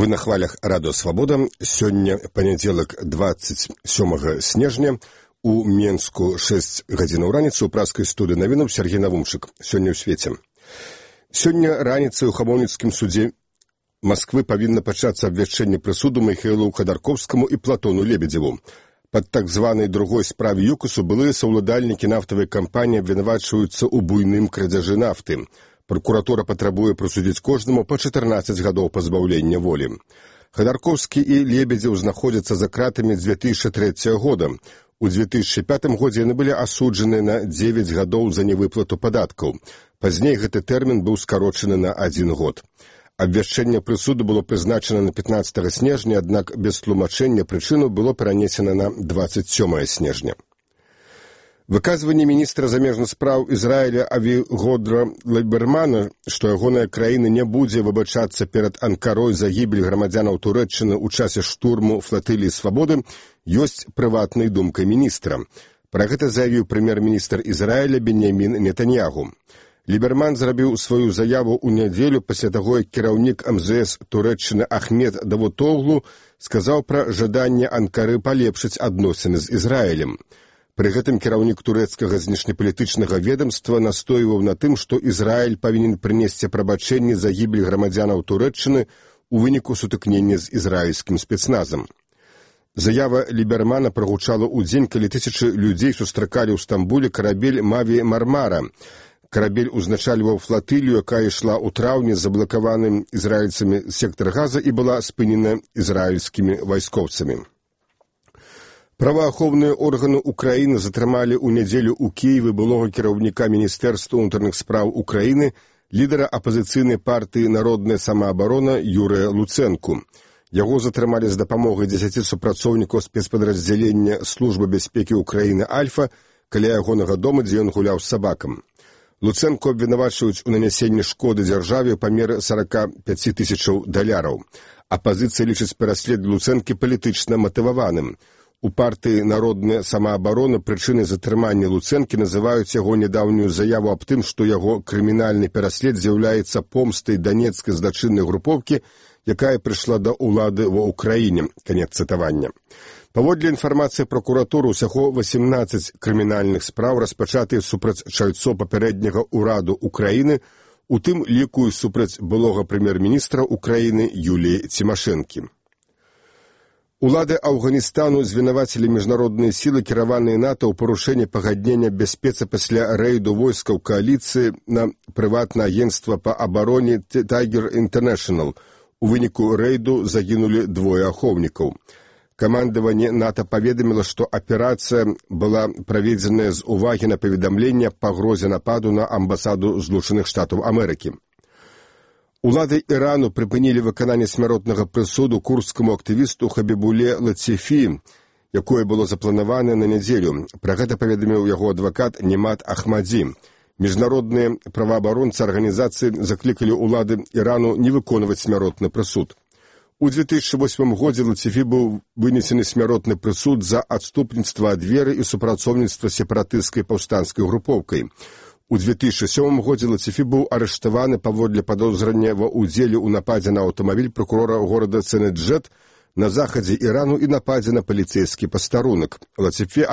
Вы на хвалях Радио Свобода. Сёння панядзелак 27 снежня. У Менску 6 гадзінаў раніцы. У праскай студыі навінаў Сергей Навумчык. Сёння ў свеце. Сёння раніцай у Хамоўніцкім судзе Москвы павінна пачацца абвяшчэнне прысуду Михаилу Ходорковскому і Платону Лебедзеву. Пад так званай другой справе ЮКОСу былыя саўладальнікі нафтавай кампаніі абвінавачваюцца ў буйным крадзяжы нафты. Прокуратура патрабуе прысудзіць кожнаму па 14 гадоў пазбаўлення волі. Ходорковскі і Лебедзеў знаходзяцца за кратамі з 2003 года. У 2005 годзе яны былі асуджаны на 9 гадоў за невыплату падаткаў. Пазней гэты тэрмін быў скарочаны на 1 год. Абвяшчэнне прысуду было прызначана на 15 снежня, аднак без тлумачэння прычыну было перанесена на 27 снежня. Выказванне міністра замежных спраў Ізраіля Авігодра Лібермана, што ягоная краіна не будзе выбачацца перад Анкарой за гібель грамадзянаў Турэччыны ў часе штурму флатыліі свабоды, ёсць прыватнай думкай міністра. Пра гэта заявіў прэм'ер-міністр Ізраіля Беньямін Нетаньягу. Ліберман зрабіў сваю заяву ў нядзелю пасля таго, як кіраўнік МЗС Турэччыны Ахмед Давутоглу сказаў пра жаданне Анкары палепшыць адносіны з Ізраілем. Пры гэтым кіраўнік турэцкага знешнепалітычнага ведамства настойваў на тым, што Ізраіль павінен прынесці прабачэнне за гібель грамадзянаў Турэччыны ў выніку сутыкнення з ізраільскім спецназам. Заява Лібермана прагучала ў дзень, калі тысячы людзей сустракалі ў Стамбуле карабель Маві Мармара. Карабель узначальваў флатылію, якая ішла ў траўні з заблакаваным ізраільцамі сектар Газа і была спынена ізраільскімі вайскоўцамі. Праваахоўныя органы Украіны затрымалі ў нядзелю ў Кіеве былога кіраўніка Міністэрства ўнутраных спраў Украіны, лідара апазіцыйнай партыі «Народная самаабарона» Юрыя Луцэнку. Яго затрымалі з дапамогай 10 супрацоўнікаў спецпадраздзялення Службы бяспекі Украіны «Альфа» каля ягонага дома, дзе ён гуляў з сабакам. Луцэнку абвінавачваюць у нанясенні шкоды дзяржаве ў памеры $45 000. Апазіцыя лічыць пераслед Луцэнкі палітычна матываваным. У партыі «Народная самаабарона» прычынай затрымання Луцэнкі называюць яго нядаўнюю заяву аб тым, што яго крымінальны пераслед з'яўляецца помстай данецкай злачыннай групоўкі, якая прыйшла да ўлады ва ўкраіне. Канец цытавання. Паводле інфармацыі пракуратуры, усяго 18 крымінальных спраў распачатыя супраць чальцоў папярэдняга ўраду Украіны, у тым ліку і супраць былога прэм'ер-міністра Украіны Юліі Цімашэнкі. Улады Афганістану звінавацілі міжнародныя сілы, кіраваныя НАТО ў парушэнні пагаднення бяспецы пасля рэйду войскаў кааліцыі на прыватнае агенцтва па абароне Tiger International. У выніку рэйду загінулі 2 ахоўнікаў. Камандаванне НАТО паведаміла, што аперацыя была праведзеная з увагі на паведамленне аб пагрозе нападу на амбасаду Злучаных Штатаў Амерыкі. Улады Ірану прыпынілі выкананне смяротнага прысуду курдскаму актывісту Хабібуле Лацифі, якое было запланаванае на нядзелю. Пра гэта паведаміў яго адвакат Немат Ахмадзі. Міжнародныя праваабаронцы арганізацыі заклікалі ўлады Ірану не выконваць смяротны прысуд. У 2008 годзе Лацифі быў вынесены смяротны прысуд за адступніцтва ад веры і супрацоўніцтва сепаратысцкай паўстанцкай групоўкай. У 2007 годзе Лацифі быў арыштаваны паводле падозрання ва ўдзеле ў нападзе на аўтамабіль прокурора горада Ценеджет на захадзе Ірану і нападзе на паліцэйскі пастарунак. Лацифі